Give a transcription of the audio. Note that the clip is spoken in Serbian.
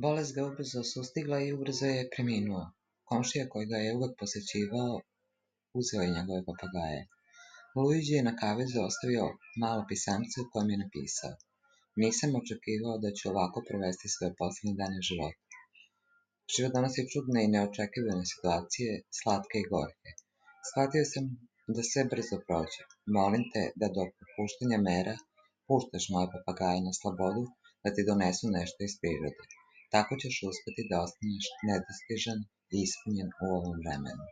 Bolest ga ubrzo sustigla i ubrzo je preminuo. Komšija koji ga je uvek posećivao uzeo je njegove papagaje. Luiđi je na kavezu ostavio malo pisamce u kojem je napisao: Nisam očekivao da ću ovako provesti svoje poslednje dane života. Život donosi čudne i neočekivane situacije, slatke i gorke. Shvatio sam da sve brzo prođe. Molim te da do popuštanja mera puštaš moje papagaje na slobodu da ti donesu nešto iz prirode. Tako ćeš uspeti da ostaneš nedostižan i ispunjen u ovom vremenu.